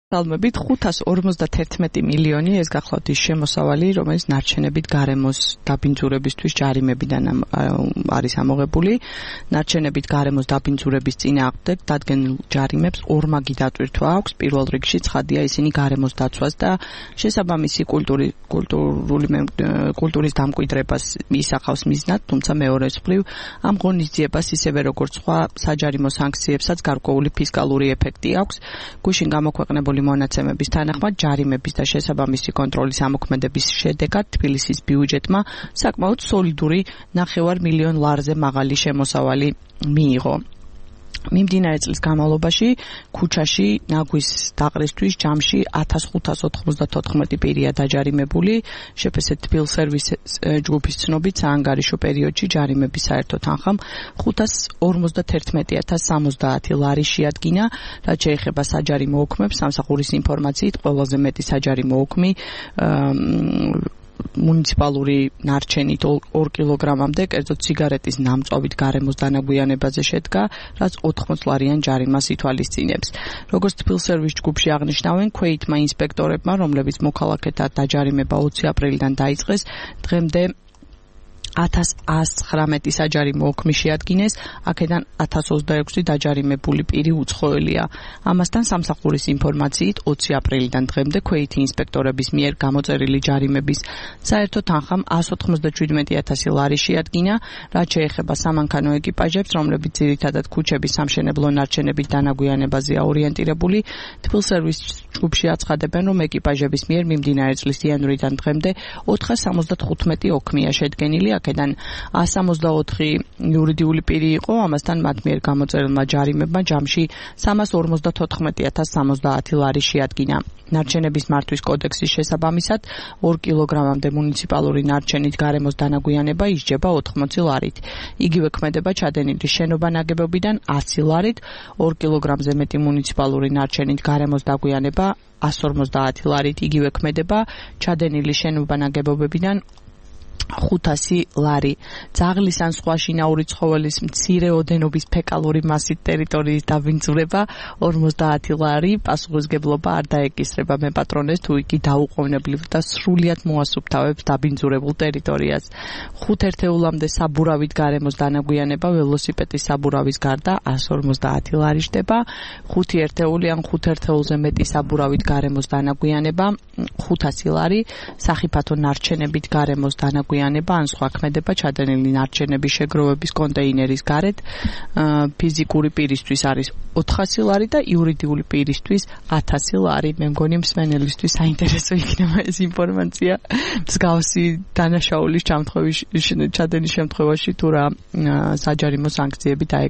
Salmებით 551 მილიონი ეს გახლავთ ის შემოსავალი, რომელიც ნარჩენებით გარემოს დაბინძურებისთვის ჯარიმებიდან არის ამოღებული. ნარჩენებით გარემოს დაბინძურების წინააღმდეგ დადგენილ ჯარიმებს ორმაგი დატვირთვა აქვს. პირველ რიგში ცხადია ისინი გარემოს დაცვას და შესაბამისი კულტურის დამკვიდრებას ისახავს მიზნად, თუმცა მეორეს მხრივ ამ ღონისძიებას ისევე როგორც სხვა საჯარიმო სანქციებსაც გარკვეული ფისკალური ეფექტი აქვს. გუშინ გამოქვეყნებული მონაცემების თანახმად ჯარიმების და შესაბამისი კონტროლის ამოქმედების შედეგად თბილისის ბიუჯეტმა საკმაოდ სოლიდური 9 მილიონ ლარზე მაღალი შემოსავალი მიიღო. მიმდინარე წლის განმავლობაში ქუჩაში ნაგვის დაყრისთვის ჯამში 1594 პირია დაჯარიმებული. შეფასე თბილსერვის ჯგუფის ცნობით საანგარიშო პერიოდში ჯარიმების საერთო თანხამ 551,070 ლარი შეადგინა, რაც შეეხება საჯარიმო ოქმებს. სამსახურის ინფორმაციით ყველაზე მეტი საჯარიმო ოქმი მუნიციპალური ნარჩენით 2 კილოგრამამდე, კერძოდ სიგარეტის ნამწვავით გარემოს დანაგვიანებაზე შედგა, რაც 80 ლარიან ჯარიმას ითვალისწინებს. Როგორც თბილსერვის ჯგუფში აღნიშნავენ, ქვეითმა ინსპექტორებმა, რომლებიც მოქალაქეთა დაჯარიმება 20 აპრილიდან დაიწყეს, დღემდე 1119 საჯარიმო ოქმი შეადგინეს, აქედან 1026 დაჯარიმებული პირი უცხოელია. ამასთან სამსახურის ინფორმაციით 20 აპრილიდან დღემდე ქვეითი ინსპექტორების მიერ გამოწერილი ჯარიმების საერთო თანხამ 197,000 ლარი შეადგინა, რაც შეეხება სამანქანო ეკიპაჟებს, რომლებიც ძირითადად ქუჩების სამშენებლო ნარჩენებით დანაგვიანებაზეა ორიენტირებული. თბილსერვის ჯგუფში აცხადებენ, რომ ეკიპაჟების მიერ მიმდინარე წლის იანვრიდან დღემდე 475 ოქმია შედგენილი, აქედან 164 იურიდიული პირი იყო, ამასთან მათ მიერ გამოწერილმა ჯარიმებმა ჯამში 354,070 ლარი შეადგინა. ნარჩენების მართვის კოდექსის შესაბამისად 2 კილოგრამამდე მუნიციპალური ნარჩენით გარემოს დანაგვიანება ისჯება 80 ლარით. იგივე ქმედება ჩადენილი შენობა ნაგებობიდან 100 ლარით, 2 კილოგრამზე მეტი მუნიციპალური ნარჩენით გარემოს დაგვიანება 150 ლარით. იგივე ქმედება ჩადენილი შენობა ნაგებობებიდან 500 ლარი. ძაღლის ან სხვა შინაური ცხოველის მცირე ოდენობის ფეკალური მასით ტერიტორიის დაბინძურება 50 ლარი. პასუხისმგებლობა არ დაეკისრება მეპატრონეს, თუ იგი დაუყოვნებლივ და სრულიად მოასუფთავებს დაბინძურებულ ტერიტორიას. 5 ერთეულამდე საბურავით გარემოს დანაგვიანება ველოსიპედის საბურავის გარდა 150 ლარი ხდება. 5 ერთეული ან 5 ერთეულზე მეტი საბურავით გარემოს დანაგვიანება 500 ლარი. სახიფათო ნარჩენებით გარემოს დანაგვიანება ან სხვა ქმედება ჩადენილი ნარჩენების შეგროვების კონტეინერის გარეთ ფიზიკური პირისთვის არის 400 ლარი და იურიდიული პირისთვის 1000 ლარი. მე მგონი მსმენელისთვის საინტერესო იქნება ეს ინფორმაცია. მსგავსი დანაშაულის ჩადენის შემთხვევაში თუ რა საჯარიმო სანქციები დაეკისრება.